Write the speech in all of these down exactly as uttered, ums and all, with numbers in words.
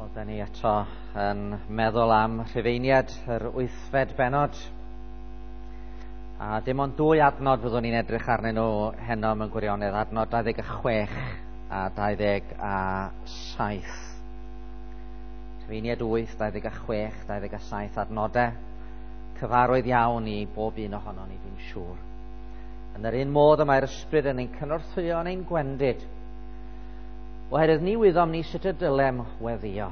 Wel, ni eto yn meddwl am Rhufeiniad yr wythfed bennod. A dim ond dwy adnod fyddwn ni'n edrych arnyn nhw heno mewn gwirionedd, adnod dau ddeg a chwech a dau ddeg a saith. Rhufeiniad wyth, dau ddeg a chwech, dau ddeg a saith adnodau cyfarwydd iawn i bob un ohonon ni, dwi'n siŵr. Yn yr un modd y mae'r ysbryd yn ein cynorthwyo yn ein gwendid, oherwydd ni wyddom ni sut y dylem weddio.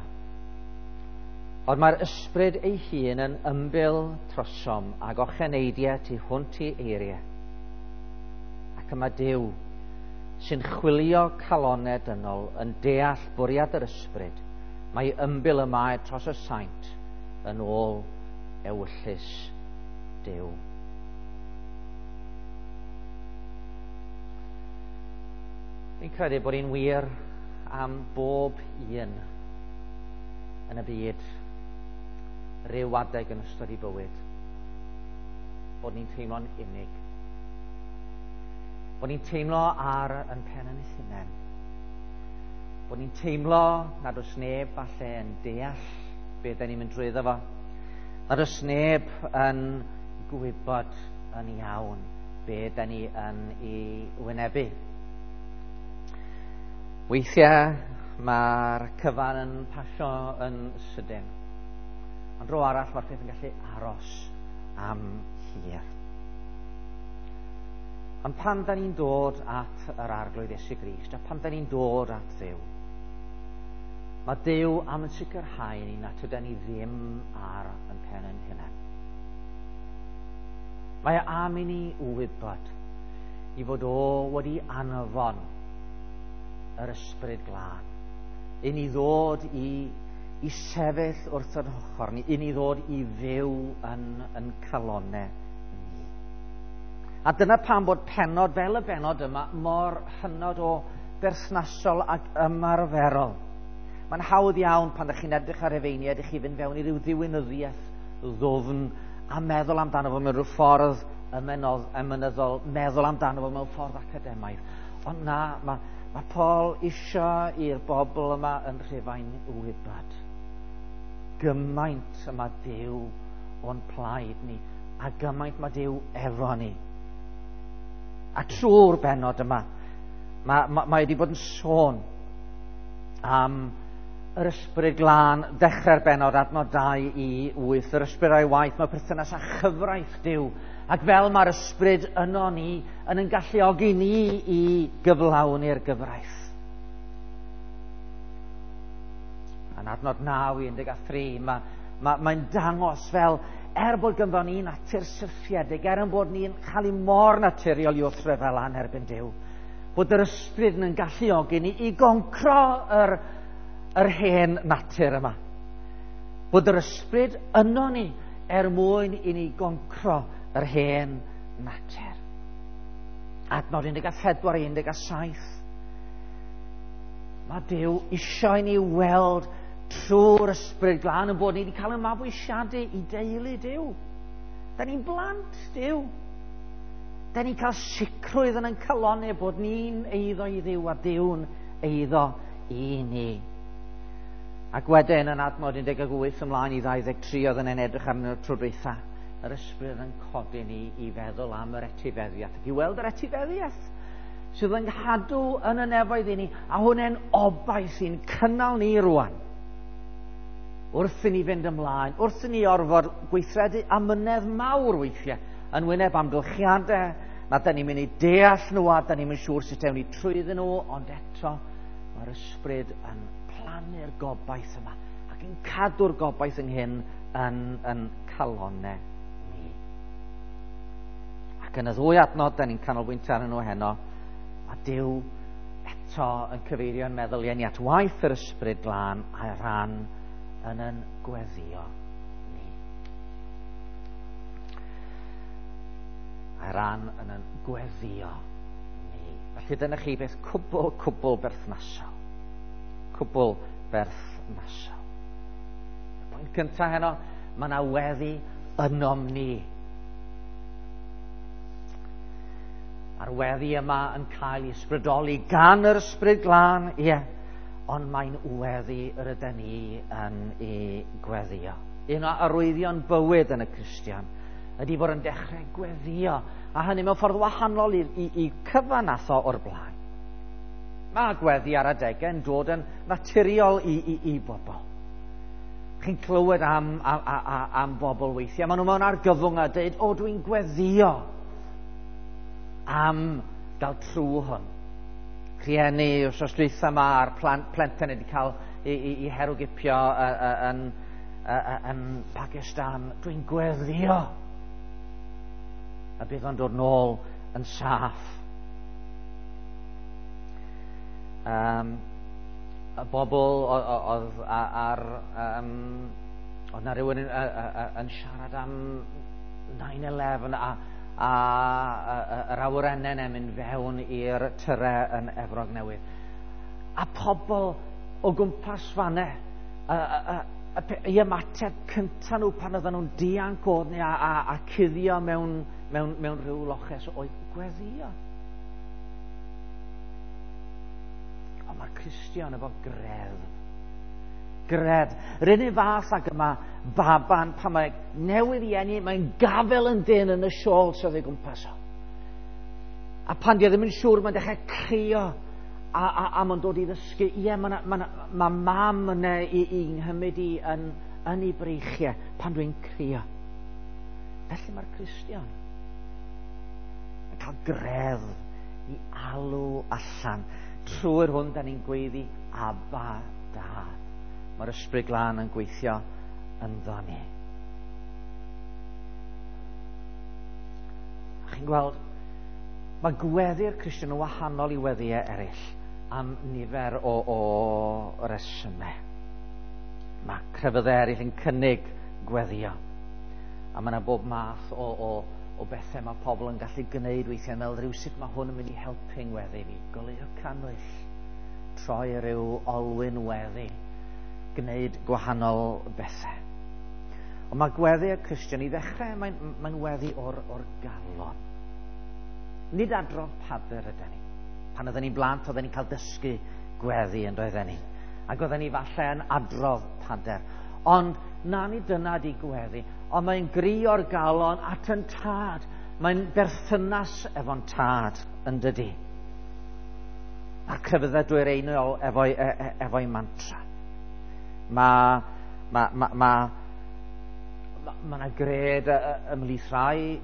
Ond mae'r ysbryd ei hun yn ymbil trosom ag ocheneidiau tu hwnt i eiriau. Ac yma Duw sy'n chwilio calonau dynol yn deall bwriad yr ysbryd, mae ymbil y mae dros y saint yn ôl ewyllys Duw. Fi'n credu bod hi'n wir am bob un yn y byd ryw adeg yn ystod ei bywyd, bod ni'n teimlo'n unig, bod ni'n teimlo ar yn pen yn hunain, bod ni'n teimlo nad oes neb falle yn deall be da ni'n mynd drwyddo fo, nad oes neb yn gwybod yn iawn be da ni yn ei wynebu. Weithiau mae'r cyfan yn pasio yn sydyn, ond dro arall mae'r peth yn gallu aros am hir. Ond pan da ni'n dod at yr Arglwydd Iesu Grist, a pan da ni'n dod at Dduw, mae Duw am yn sicrhau ni nad ydan ni ddim ar yn pen yn hunain. Mae am i ni wybod i fod o wedi anfon yr ysbryd glân, i ni ddod i, i sefyll wrth yr ochr ni, i ni ddod i fyw yn, yn calonau ni. A dyna pam bod pennod fel y bennod yma mor hynod o berthnasol ac ymarferol. Mae'n hawdd iawn pan ydych chi'n edrych ar Rufeiniad i chi fynd fewn i ryw ddiwinyddiaeth ddwfn a meddwl amdano fo mewn rhyw ffordd emynyddol, meddwl amdano fo mewn ffordd academaidd. Ond na, mae Mae Paul isio i'r bobl yma yn Rhufain wybod gymaint y mae Duw o'n plaid ni, a gymaint mae Duw efo ni. A trwy'r bennod yma, mae, mae, mae wedi bod yn sôn am yr ysbryd glân, dechrau'r bennod adnod dau i wyth, yr ysbryd a'i waith, mae perthynas â chyfraith Duw. Ac fel mae'r ysbryd yno ni, yn yn galluogi ni i gyflawni'r gyfraith. Yn adnod naw i un deg a thri, mae, mae, mae'n dangos fel, er bod ganddo ni natur syrthiedig, er yn bod ni'n cael ei mor naturiol i wrthryfel yn erbyn Duw, bod yr ysbryd yn galluogi ni i goncro yr, yr hen natur yma. Bod yr ysbryd yno ni er mwyn i ni goncro yr hen natur. Adnod un deg a phedwar i un deg a saith. Mae Duw isio i ni weld trwy'r ysbryd glân yn bod ni wedi cael ein mabwysiadu i deulu Duw. Da ni'n blant Duw. Da ni'n cael sicrwydd yn ein calonnau bod ni'n eiddo i Dduw a Duw'n eiddo i ni. Ac wedyn yn adnod un deg wyth ymlaen i ddau ddeg tri oedd yn edrych arnyn nhw tro dwytha, yr ysbryd yn codi ni i feddwl am yr etifeddiaeth, ac i weld yr etifeddiaeth sydd yn cadw yn y nefoedd i ni, a hwnna'n obaith sy'n cynnal ni rwan. Wrth i ni fynd ymlaen, wrth i ni orfod gweithredu amynedd mawr weithiau, yn wyneb amgylchiadau, na da ni'n mynd i deall nhw a da ni'n mynd siŵr sut ewn ni trwyddyn nhw, ond eto mae'r ysbryd yn plannu'r gobaith yma ac yn cadw'r gobaith ynghyn yn, yn calonnau. Ac yn y ddwy adnod, da ni'n canolbwyntio arnyn nhw heno, mae Duw eto yn cyfeirio'n meddyliau ni at waith yr ysbryd glân a'i ran yn yn gweddio ni. A'i ran yn yn gweddio ni. Felly dyna chi beth cwbl, cwbl berthnasol. Cwbl berthnasol. Y pwynt cyntaf heno, mae yna weddi ynom ni. A'r weddi yma yn cael ei ysbrydoli gan yr ysbryd glân, ie. Ond mae'n weddi yr ydyn ni yn ei gweddio. Un o arwyddion bywyd yn y Cristion ydy bod yn dechrau gweddio, a hynny mewn ffordd wahanol i, i, i cyfan nath o o'r blaen. Mae gweddi ar adegau yn dod yn naturiol i, i, i bobl. Chi'n clywed am, am, am, am bobl weithiau. Maen nhw mewn argyfwng a dweud, o, dwi'n gweddio am gael trw hwn. Rhieni wrth dwytha yma a'r plant, plentyn wedi cael i, i, i herwgipio yn, yn, yn Pakistan. Dwi'n gweddio. A bydd o'n dod nôl yn saff. Um, y bobl oedd ar... Um, oedd na rhywun yn, yn siarad am nine eleven a, a, a, yr awyrennau yn mynd fewn i'r tyre yn Efrog Newydd. A pobl o gwmpas fanne, a, a, a, a, i ymateb cyntaf nhw pan oedden nhw'n dianc oedd a, a, a cuddio mewn, mewn, mewn rhyw loches oedd gweddio. Ond mae'r Cristion efo greddf. Greddf. Yr unig fath ag yma baban pan mae newydd i eni, mae'n gafel yn dyn yn y siôl sydd ei gwmpas o. A pan di o ddim yn siŵr, mae'n dechrau crio a, a, a mae'n dod i ddysgu. Ie, mae ma, ma mam yna i, i nghymryd i yn, yn ei breichiau pan dwi'n crio. Felly mae'r Cristion yn cael greddf i alw allan. Trwy'r hwn, da ni'n gweiddi, Abba, Dad. Mae'r Ysbryd Glân yn gweithio ynddo ni. A chi'n gweld, mae gweddi'r Cristion yn wahanol i weddïau eraill am nifer o, o resymau. Mae crefyddau eraill yn cynnig gweddio. A mae yna bob math o, o, o bethau mae pobl yn gallu gwneud weithiau, meddwl rhyw sut mae hwn yn mynd i helpu ngweddi fi. Goleuo cannwyll, troi rhyw olwyn weddi, gwneud gwahanol bethau. Ond mae gweddi y Cristion i ddechrau, mae'n mae weddi o'r, or galon. Nid adrodd pader ydyn ni. Pan oedden ni'n blant, oedden ni'n cael dysgu gweddi yn doedden ni. Ac oedden ni falle yn adrodd pader. Ond na ni dyna di gweddi. Ond mae'n gri o'r galon at yn tad. Mae'n berthynas efo'n tad yn dydi. A'r crefyddau dwyreiniol efo'i, e, e, efo'i mantra. Mae ma, ma, ma, ma, ma yna gred ymhlith rhai,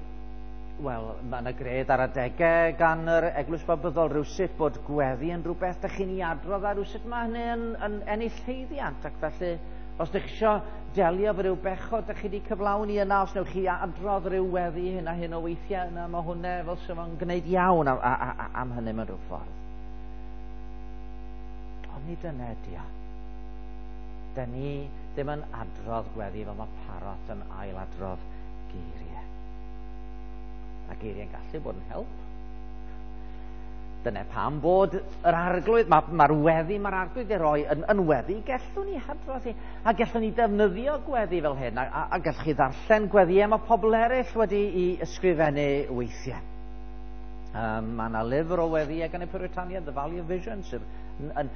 wel, mae yna gred ar adegau gan yr Eglwys Babyddol rhywsut bod gweddi yn rhywbeth dych chi'n ei adrodd a rhywsut mae hynny yn, yn ennill haeddiant, ac felly os dych chi eisiau delio efo rhyw bechod dych chi wedi cyflawni yna, os newch chi adrodd rhyw weddi hyn a hyn o weithiau yna, mae hwnna fel sy'n fo'n gwneud iawn am, am, am hynny mewn rhyw ffordd. Ond nid dyna ydi o. Da ni ddim yn adrodd gweddi fel mae parot yn ailadrodd geiriau. A geiriau'n gallu bod yn help. Dyna pam bod yr arglwydd, mae'r ma weddi mae'r arglwydd ei roi yn, yn weddi, gellwn ni hadrodd hi, a gellwn ni defnyddio gweddi fel hyn, a, a, a gellwch chi ddarllen gweddïau mae pobl eraill wedi i ysgrifennu weithiau. Um, mae yna lyfr o weddïau gan y Puritaniaid, The Valley of Vision, sydd yn, yn,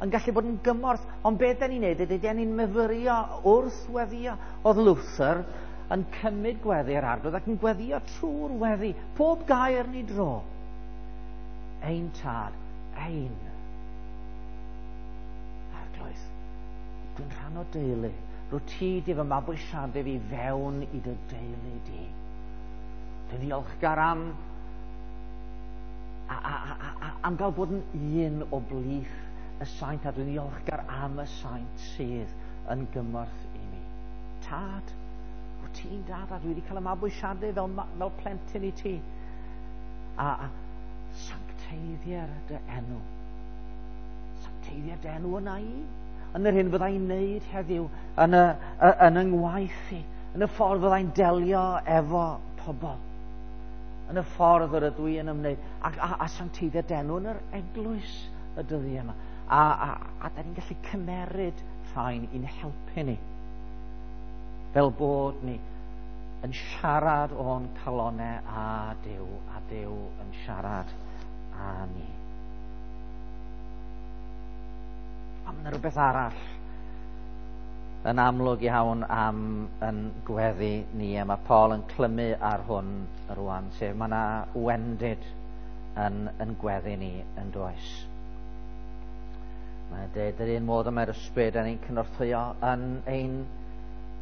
yn gallu bod yn gymorth, ond beth da ni'n neud ydy, da ni'n myfyrio wrth weddio. Oedd Luther yn cymryd gweddi ar arglwydd ac yn gweddio trwy'r weddi, pob gair ni dro. Ein tad, ein arglwydd, dwi'n rhan o deulu. Rwy ti di fy mabwysiadu fi fewn i dy deulu di. Dwi'n ddiolchgar am, a, a, a, a, am gael bod yn un o blith y saint, a dwi'n ddiolchgar am y saint sydd yn gymorth i mi. Tad, wyt ti'n dad, a dwi wedi cael y mabwysiadu fel, fel plentyn i ti. A, a sancteiddier dy enw. Sancteiddier dy enw yna i. Yn yr hyn fyddai'n wneud heddiw, yn y, yn y ngwaith i, yn y ffordd fyddai'n delio efo pobl, yn y ffordd yr ydw i yn ymwneud, a, a, a sancteiddier dy enw yn yr eglwys y dyddiau yma. A, a, a da ni'n gallu cymeryd rhain i'n helpu ni. Fel bod ni yn siarad o'n calonau a Duw, a Duw yn siarad â ni. Ond mae yna rhywbeth arall yn amlwg iawn am yn gweddi ni, a mae Paul yn clymu ar hwn rwan, sef mae yna wendid yn, yn gweddi ni yn does. Mae'n dweud yr un modd y mae'r ysbryd yn ein cynorthwyo yn ein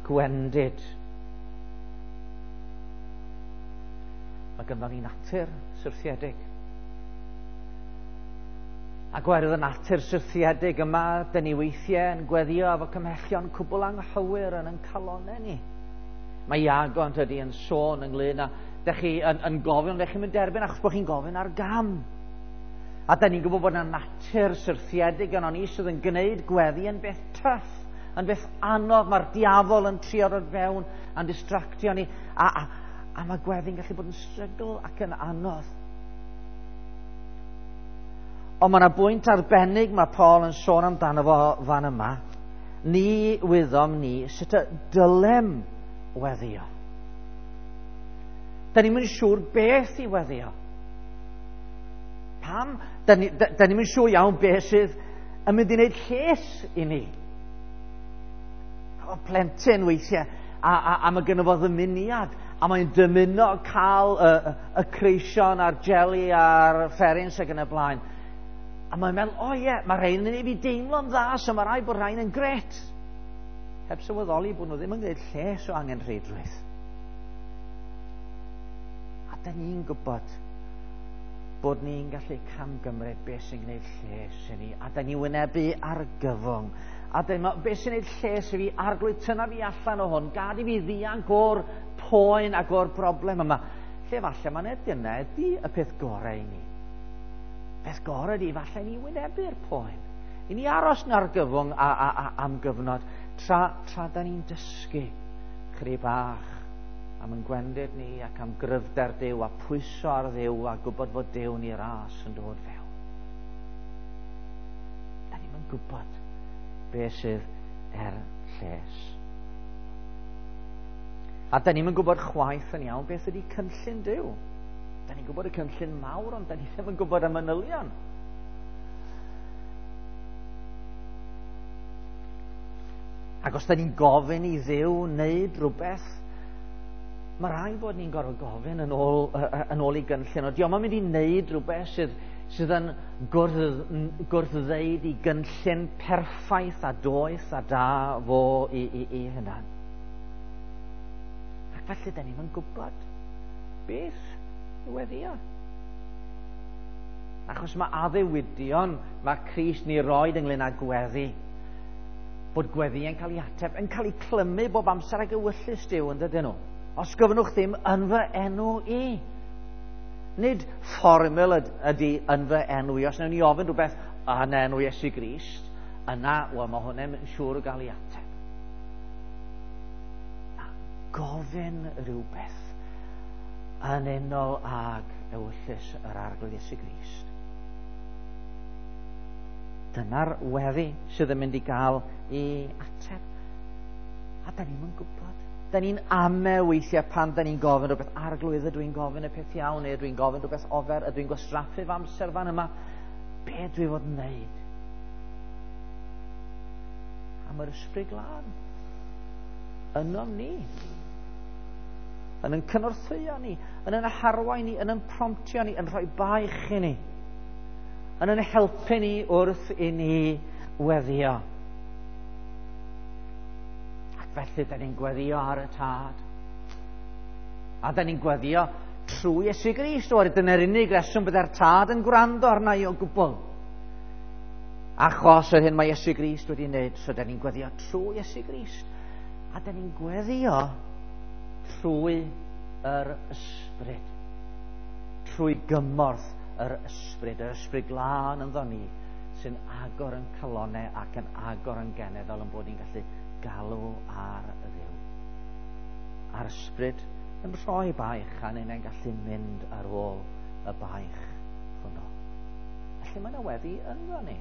gwendid. Mae ganddo ni natur syrthiedig. Ac oherwydd y natur syrthiedig yma, dyn ni weithiau yn gweddio efo cymhellion cwbl anghywir yn ein calonnau ni. Mae Iago yn tydi yn sôn ynglyn â, dych chi yn, yn gofyn, ond dych chi'n mynd derbyn achos bod chi'n gofyn ar gam. A da ni'n gwybod bod yna natur syrthiedig yno ni sydd yn gwneud gweddi yn beth tyff, yn beth anodd. Mae'r diafol yn trio dod fewn a'n distractio ni. A, a, a mae gweddi'n gallu bod yn strygl ac yn anodd. Ond mae yna bwynt arbennig mae Paul yn sôn amdano fo fan yma. Ni wyddom ni sut y dylem weddio. Da ni'n mynd siŵr beth i weddio. Pam? Da ni'n da, da ni mynd siŵr iawn beth sydd yn mynd i wneud lles i ni. O plentyn weithiau, a, a, a mae gynno fo ddymuniad, a mae'n dymuno cael y, y, y creision a'r jeli a'r fferins ac yn y blaen. A mae'n meddwl, o ie, mae rhain yn ei fi deimlo'n dda, so mae rhaid bod rhain yn gret. Heb sylweddoli bod nhw ddim yn gwneud lles o angenrheidrwydd. A da ni'n gwybod bod ni'n gallu camgymryd beth sy'n gwneud lles i ni. A da ni wynebu argyfwng. A dyma, beth sy'n gwneud lles i fi, Arglwydd, tynna fi allan o hwn, gad i fi ddianc o'r poen ac o'r broblem yma. Lle falle mae'n dyna ydy y peth gorau i ni. Peth gorau ydy falle ni wynebu'r poen. I ni aros yn argyfwng a, a, a, am gyfnod, tra, tra da ni'n dysgu chydig bach am yn gwendid ni ac am gryfder Duw a pwyso ar Dduw a gwybod fod Duw ni ras yn dod fewn. Da ni'n yn gwybod beth sydd er lles. A da ni'n yn gwybod chwaith yn iawn beth ydy cynllun Duw. Da ni'n gwybod y cynllun mawr, ond da ni ddim yn gwybod y manylion. Ac os da ni'n gofyn i Dduw wneud rhywbeth, mae rhaid bod ni'n gorfod gofyn yn ôl, yn ôl i gynllun. O, dio'm yn mynd i wneud rhywbeth sydd, sydd yn gwrth, gwrthddweud i gynllun perffaith a doeth a da fo i, i, i hunan. Ac felly da ni'n yn gwybod beth i weddio. Achos mae addewidion mae Crist ni roed ynglyn â gweddi, bod gweddi yn cael ei ateb, yn cael ei clymu bob amser ag ewyllys Duw, yn dydyn nhw. Os gofynnwch ddim yn fy enw i. Nid fformul ydy yn fy enw i. Os wnawn ni ofyn rhywbeth yn enw Iesu Grist, yna, wel, mae hwnna'n siŵr o gael ei ateb. Na, gofyn rhywbeth yn unol ag ewyllys yr Arglwydd Iesu Grist. Dyna'r weddi sydd yn mynd i gael ei ateb. A da ni'n gwybod. Da ni'n ame weithiau pan da ni'n gofyn rhywbeth, Arglwydd, ydw i'n gofyn y peth iawn, neu ydw i'n gofyn rhywbeth ofer, ydw i'n gwastraffu fy amser fan yma. Be dwi fod yn wneud? A mae'r Ysbryd Glân ynom ni, yn yn cynorthwyo ni, yn yn harwain ni, yn yn promptio ni, yn rhoi baich i ni, yn yn helpu ni wrth i ni weddio. Ac felly, da ni'n gweddio ar y Tad. A da ni'n gweddio trwy Iesu Grist. Oherwydd dyna'r unig reswm bydde'r Tad yn gwrando arna i o gwbl. Achos yr hyn mae Iesu Grist wedi wneud, so da ni'n gweddio trwy Iesu Grist. A da ni'n gweddio trwy yr Ysbryd. Trwy gymorth yr Ysbryd, yr Ysbryd Glân ynddo ni, sy'n agor yn calonnau ac yn agor yn genedd fel yn bod ni'n gallu galw ar Dduw. A'r Ysbryd yn rhoi baich a ni'n gallu mynd ar ôl y baich hwnnw. Felly mae yna weddi ynddo ni.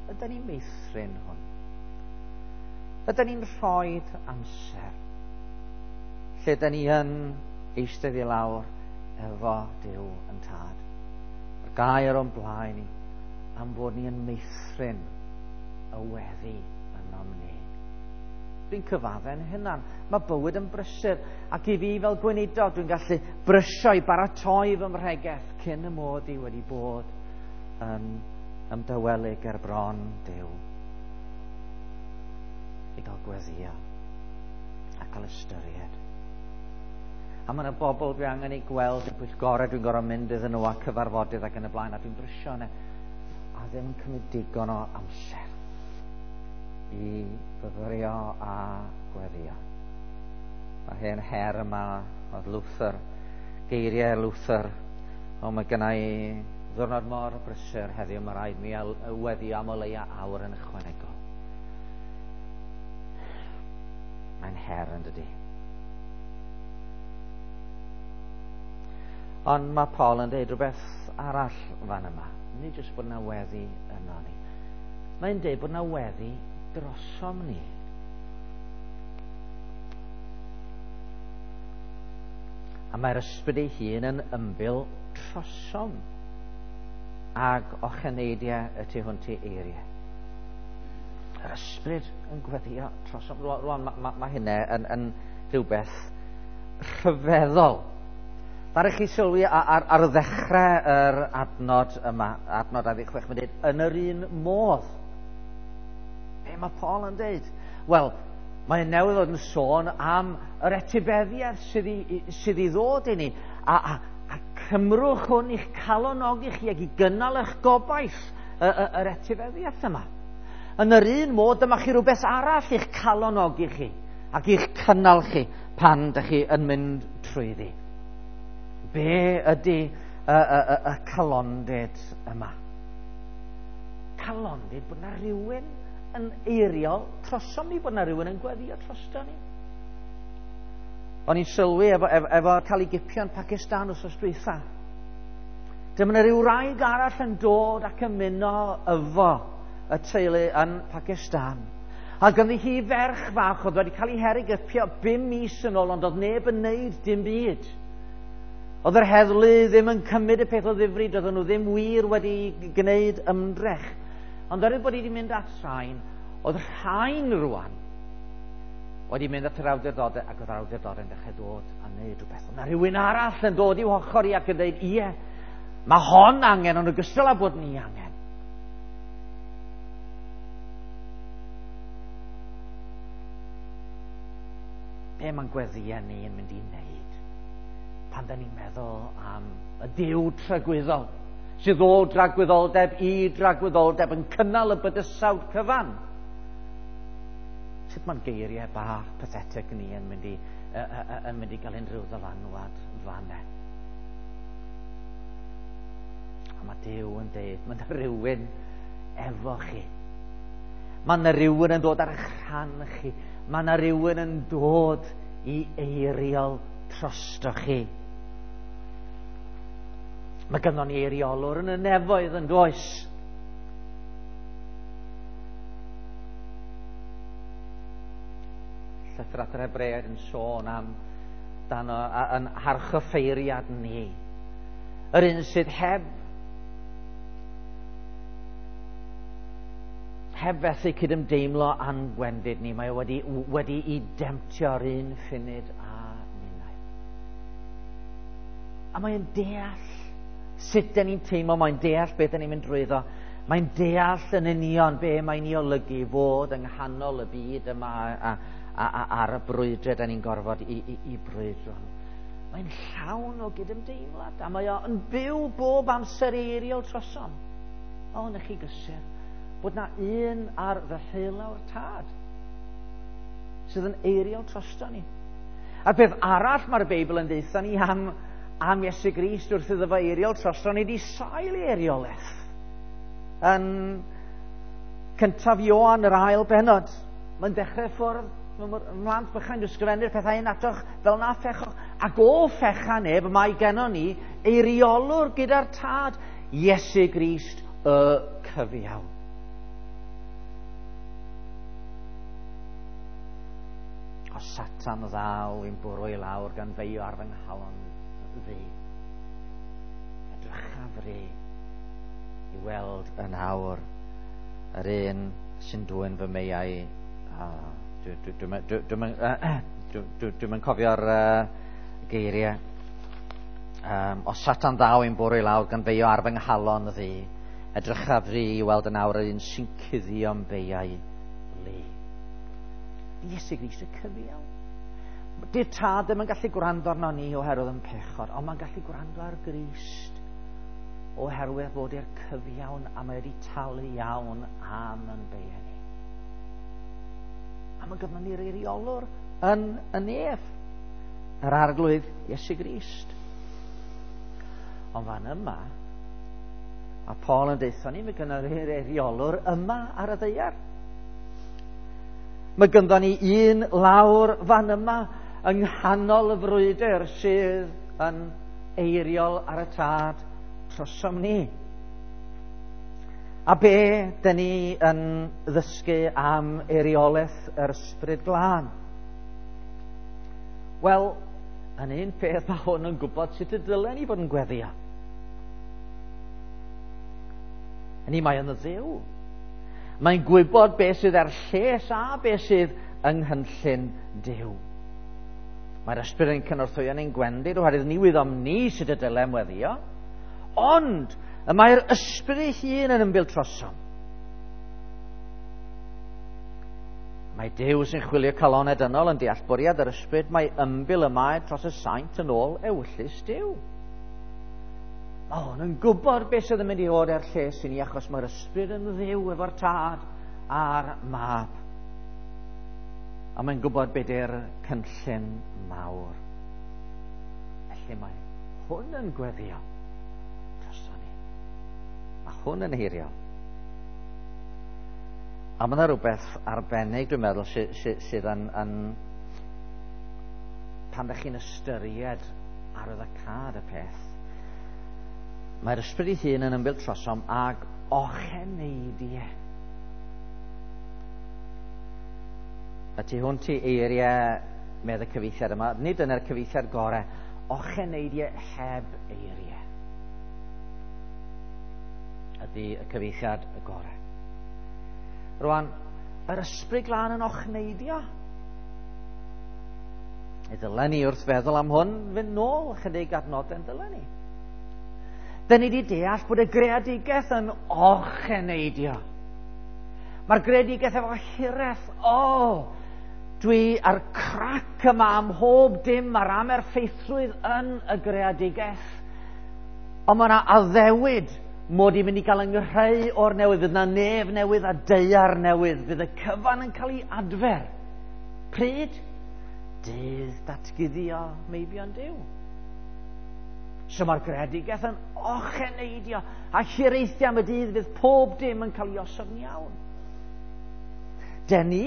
Ydy ni'n meithrin hwn? Ydy ni'n rhoi amser lle da ni yn eistedd i lawr efo Duw yn Tad? Mae'r gair o'n blaen ni. am bod ni yn meithrin y weddi ynom ni. Dwi'n cyfadde'n hunan. Mae bywyd yn brysur. Ac i fi fel gweinidog, dwi'n gallu brysio i baratoi fy mhregeth cyn y mod i wedi bod yn ymdawelu ger bron Duw. I gael gweddio a cael ystyried. A mae yna bobl dwi angen eu gweld yn pwyllgorau, dwi'n gorfod mynd iddyn nhw a cyfarfodydd ac yn y blaen, a dwi'n brysio yna. A ddim yn cymryd digon o amser i fyfyrio a gweddio. Mae hen her yma oedd Luther, geiriau Luther, o mae gynna i ddiwrnod mor brysur heddiw, mae rhaid mi weddio am o leia awr yn ychwanegol. Mae'n her yn dydi. Ond mae Paul yn dweud rhywbeth arall fan yma. Nid jyst bod yna weddi yno ni. Mae'n dweud bod yna weddi drosom ni. A mae'r ysbryd ei hun yn ymbil trosom ag ocheneidiau y tu hwnt i eiriau. Yr ysbryd yn gweddio trosom. Rwan, mae ma, ma hynna yn, yn rhywbeth rhyfeddol. Ddaru chi sylwi ar, ar, ar ddechrau yr adnod yma, adnod dau ddeg chwech, mae'n dweud, yn yr un modd. Be mae Paul yn dweud? Wel, mae'n newydd fod yn sôn am yr etifeddiaeth sydd i, sydd i ddod i ni. A, a, a cymrwch hwn i'ch calonogi chi ac i gynnal eich gobaith y, y, yr etifeddiaeth yma. Yn yr un modd, dyma chi rhywbeth arall i'ch calonogi chi ac i'ch cynnal chi pan ydych chi yn mynd trwyddi. Be ydy y, y, y, y calondid yma? Calondid bod yna rhywun yn eiriol trosom ni, bod yna rhywun yn gweddio drosto ni. O'n i'n sylwi efo, efo, efo cael ei gipio yn Pakistan wrth dwytha. Dyma yna rhyw wraig arall yn dod ac ymuno efo y teulu yn Pakistan. A ganddi hi ferch fach oedd wedi cael ei herwgipio bum mis yn ôl, ond oedd neb yn neud dim byd. Oedd yr heddlu ddim yn cymryd y peth o ddifri, doedden nhw ddim wir wedi gwneud ymdrech. Ond oherwydd bod hi wedi mynd at rhain, oedd rhain rwan wedi mynd at yr awdurdodau, ac oedd yr awdurdodau yn dechrau dod a wneud rhywbeth. Oedd yna rhywun arall yn dod i'w hochr i ac yn dweud, ie, mae hon angen, ond ogystal â bod ni angen. Be mae'n gweddïau ni yn mynd i wneud pan da ni'n meddwl am y Duw tragwyddol, sydd o dragwyddoldeb i dragwyddoldeb yn cynnal y bydysawd cyfan. Sut mae'n geiriau bach pathetic ni yn mynd i, uh, uh, yn mynd i gael unrhyw ddylanwad fanne. A mae Duw yn deud, mae yna rhywun efo chi. Mae yna rhywun yn dod ar eich rhan chi. Mae yna rhywun yn dod i eiriol drosto chi. Mae gynnon ni eiriolwr yn y nefoedd yn does. Llythyr at yr Hebreaid yn sôn am dan o, a, yn harchoffeiriad ni. Yr un sydd heb heb fethu cydymdeimlo â'n gwendid ni, mae o wedi, wedi i demtio'r un ffunud a ninnau. A mae'n deall sut dyn ni'n teimlo, mae'n deall beth dyn ni'n mynd drwyddo. Mae'n deall yn union be mae'n ei olygu fod yng nghanol y byd yma a, a, a, ar y brwydre dyn ni'n gorfod i, i, i brwydro. Mae'n llawn o gydymdeimlad a mae o'n byw bob amser eiriol trosom. O, na chi gysur bod na un ar ddeheulaw'r tad sydd yn eiriol drosto ni. A'r peth arall mae'r Beibl yn deutha ni am, am Iesu Grist wrth iddo fo eiriol drosto ni di sail ei eiriolaeth. Yn cyntaf Ioan, yr ail bennod, mae'n dechrau ffwrdd, mhlant bychain, dwi'n sgrifennu'r pethau hyn atoch fel na phechoch. Ac o fecha neb, mae gennon ni eiriolwr gyda'r tad, Iesu Grist y cyfiawn. O Satan ddaw i'n bwrw i lawr gan feio ar fy nghalon ddu. Edrychaf fry i weld yn awr yr un sy'n dwyn fy meiau. Dwi'n yn cofio'r uh, geiriau. Um, o Satan ddaw i'n bwrw i lawr gan feio ar fy nghalon ddi, edrychaf fi i weld yn awr yr un sy'n cuddio'n beiau lu. Iesu Grist y cyfiawn. Di'r tad ddim yn gallu gwrando arno ni oherwydd yn pechod, ond mae'n gallu gwrando ar Grist oherwydd bod i'r cyfiawn a mae wedi talu iawn am yn beiau ni. A mae gyda ni'r eiriolwr yn y nef, yr Arglwydd Iesu Grist. Ond fan yma, a Paul yn deutha ni, mae gynnon ni'r eiriolwr yma ar y ddaear. Mae gynddon ni un lawr fan yma yng nghanol y frwydr sydd yn eiriol ar y tad trosom ni. A be dyn ni yn ddysgu am eiriolaeth yr Ysbryd Glân? Wel, yn un peth mae hwn yn gwybod sut y dylen ni fod yn gweddio. Hynny, mae yn Dduw. Mae'n gwybod beth sydd er lles a beth sydd yng nghynllun Duw. Mae'r Ysbryd yn cynorthwyo ni'n gwendid oherwydd ni wyddom ni sut y dylem weddio. Ond y mae'r Ysbryd ei hun yn ymbil trosom. Mae Duw sy'n chwilio calonau dynol yn deall bwriad yr Ysbryd, mae ymbil y mae dros y saint yn ôl ewyllys Duw. Mae hwn yn gwybod beth sydd yn mynd i fod er lles i ni, achos mae'r Ysbryd yn Dduw efo'r Tad a'r Mab. A mae'n gwybod beth yw'r cynllun mawr. Felly mae hwn yn gweddio droson ni. Mae hwn yn eiriol. A mae yna rhywbeth arbennig, dwi'n meddwl, sy, sy, sydd yn, yn pan ddech chi'n ystyried arwyddocâd y peth. Mae'r Ysbryd ei hun yn ymbil trosom ag ocheneidiau. A tu hwnt i eiriau medd y cyfieithiad yma, nid yna'r cyfieithiad gorau, ocheneidiau heb eiriau ydy y cyfieithiad y gorau. Rwan, yr Ysbryd Glân yn ochneidio. I ddylen ni wrth feddwl am hwn fynd nôl ychydig adnodau yn dylen ni. Dyn ni wedi deall bod y greadigaeth yn ocheneidio. Mae'r greadigaeth efo hiraeth. O, oh, dwi ar crac yma am mhob dim a'r amerffeithrwydd yn y greadigaeth. Ond mae yna addewid mod i'n mynd i gael yng o'r newydd. Fydd yna nef newydd a daear newydd. Fydd y cyfan yn cael ei adfer. Pryd? Dydd datguddio meibion Duw. So mae'r greadigaeth yn ocheneidio a hiraethio am y dydd fydd pob dim yn cael ei osod yn iawn. Den ni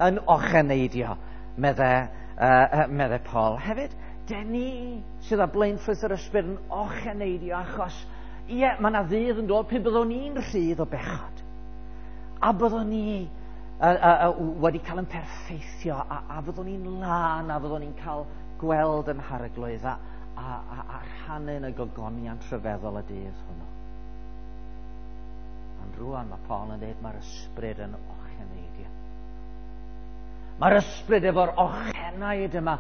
yn ocheneidio, medde, uh, medde Paul. Hefyd, den ni sydd â blaenffrwyth yr Ysbryd yn ocheneidio achos, ie, mae yna ddydd yn dod pryd byddwn ni'n rhydd o bechod. A byddwn ni uh, uh, uh, wedi cael yn perffeithio, a, a byddwn ni'n lân, a byddwn ni'n cael gweld yn harglwydd, a, a, a, a rhannu yn y gogoniant rhyfeddol y dydd hwnnw. Ond rwan mae Paul yn dweud mae'r Ysbryd yn ocheneidio. Mae'r Ysbryd efo'r ochenaid yma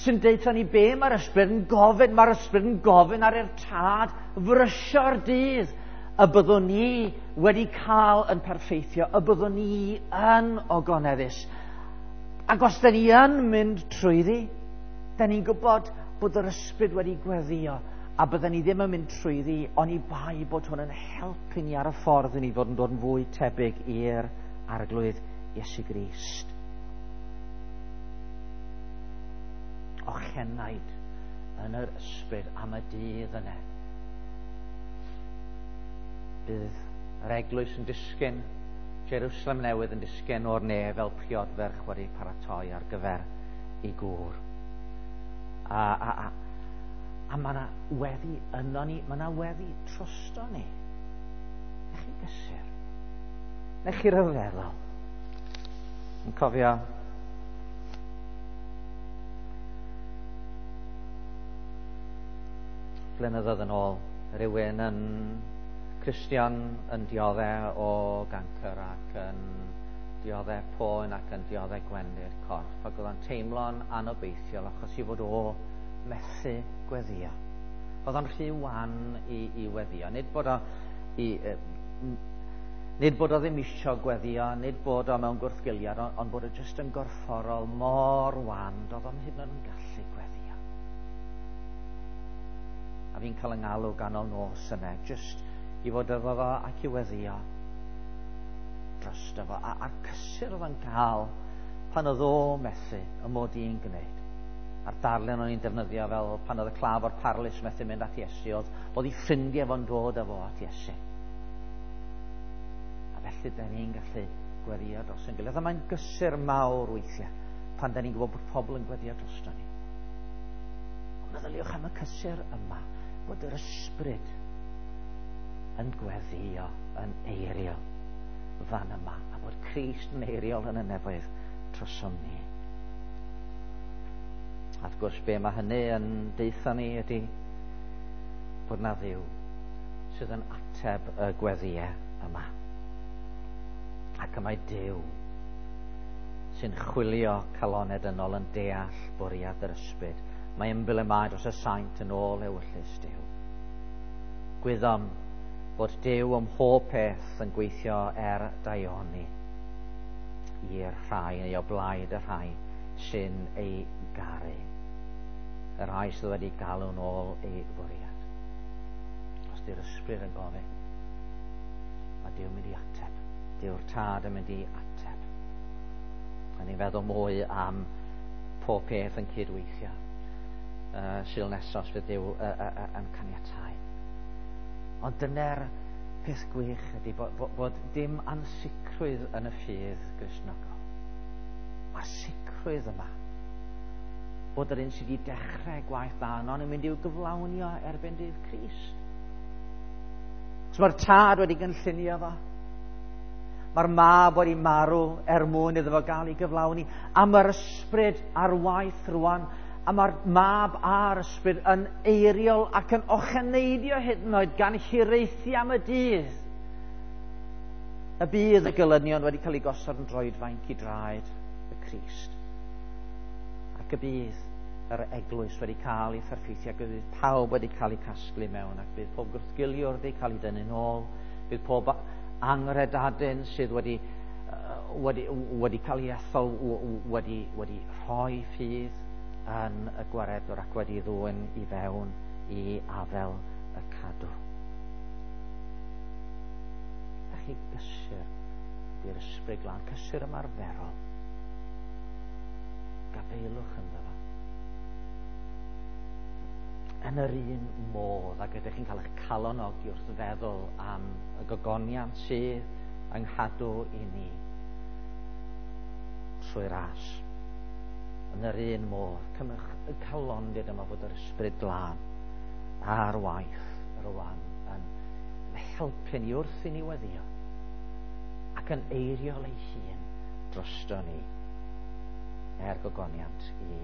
sy'n deutha ni be mae'r Ysbryd yn gofyn. Mae'r Ysbryd yn gofyn ar i'r Tad frysio'r dydd y byddwn ni wedi cael yn perffeithio, y byddwn ni yn ogoneddus. Ac os da ni yn mynd trwyddi, da ni'n gwybod bod yr Ysbryd wedi gweddio a bydden ni ddim yn mynd trwyddi oni bai bod hwn yn helpu ni ar y ffordd i ni fod yn dod yn fwy tebyg i'r Arglwydd Iesu Grist. Ochenaid yn yr Ysbryd am y dydd yna. Bydd yr eglwys yn disgyn, Jerusalem newydd yn disgyn o'r nef fel priodferch wedi paratoi ar gyfer ei gŵr. A, a, a, a mae yna weddi yno ni, mae yna weddi trosto ni. Nech chi gysur. Nech chi ryfeddol. Yn cofio blynyddoedd yn ôl, rhywun yn Cristion yn dioddef o gancr ac yn dioddef poen ac yn dioddef gwendid corff, ac oedd o'n teimlo'n anobeithiol achos i fod o methu gweddio. Oedd o'n rhy wan i, i weddio. Nid bod o i, nid bod o ddim isio gweddio, nid bod o mewn gwrthgiliad, ond, ond bod o jyst yn gorfforol mor wan, doedd o'm hyd yn oed yn gallu gweddio. A fi'n cael yng ngalw ganol nos yna, jyst i fod efo fo ac i weddio drosto fo. A, a'r cysur oedd o'n cael pan oedd o methu y mod i'n gwneud. A'r darlun o'n i'n defnyddio fel pan oedd y claf o'r parlys methu mynd at Iesu, oedd, oedd ei ffrindiau fo'n dod â fo at Iesu. A felly da ni'n gallu gweddio dros ein gilydd. A mae'n gysur mawr weithiau pan da ni'n gwybod bod pobl yn gweddio drosto ni. Ond meddyliwch am y cysur yma, bod yr ysbryd yn gweddio, yn eiriol fan yma, a bod Crist yn eiriol yn y nefoedd trosom ni. A wrth gwrs, be mae hynny yn deutha ni ydy bod na Dduw sydd yn ateb y gweddiau yma. Ac y mae Duw sy'n chwilio caloned ynol yn deall bwriad yr ysbryd. Mae ymbil y mae dros y saint yn ôl ewyllys Duw. Gwyddom bod Duw ym mhob peth yn gweithio er daioni i'r rhai, neu o blaid y rhai sy'n ei garu, y rhai sydd wedi galw'n ôl ei fwriad. Os di'r ysbryd yn gofyn, mae Duw yn mynd i ateb. Duw'r Tad yn mynd i ateb. A ni'n feddwl mwy am pob peth yn cydweithio. Uh, Sul nesaf os fydd Duw uh, uh, uh, yn caniatáu. Ond dyna'r peth gwych ydy bod, bod, bod dim ansicrwydd yn y ffydd Gristnogol. Mae'r sicrwydd yma bod yr un sydd wedi dechrau gwaith da yno yn mynd i'w gyflawnio erbyn dydd Crist. So mae'r Tad wedi gynllunio fo. Mae'r Mab wedi marw er mwyn iddo fo gael ei gyflawni. A mae'r ysbryd ar waith rwan. A mae'r Mab a'r ysbryd yn eiriol ac yn ocheneidio hyd yn oed gan hiraethu am y dydd. Y bydd y gelynion wedi cael ei gosod yn droedfainc i draed y Crist. Ac y bydd yr eglwys wedi cael ei pherffeithio, ac y bydd pawb wedi cael ei casglu mewn, ac bydd pob gwrthgiliwr wedi cael ei dynnu'n ôl, bydd pob angredadyn sydd wedi, wedi, wedi cael ei ethol wedi, wedi rhoi ffydd yn y gwaredwr ac wedi ddwyn i fewn i afel y cadw. Da chi gysur ydy'r ysbryd glân, cysur ymarferol. Gafeilwch ynddo fo. Yn yr un modd ac ydych chi'n cael eich calonogi wrth feddwl am y gogoniant sydd yng nghadw i ni trwy ras. Yn yr un modd, cymrwch y calondid yma bod yr ysbryd glân ar waith rwan yn helpu ni wrth i ni weddio ac yn eiriol ei hun drosto ni er gogoniant i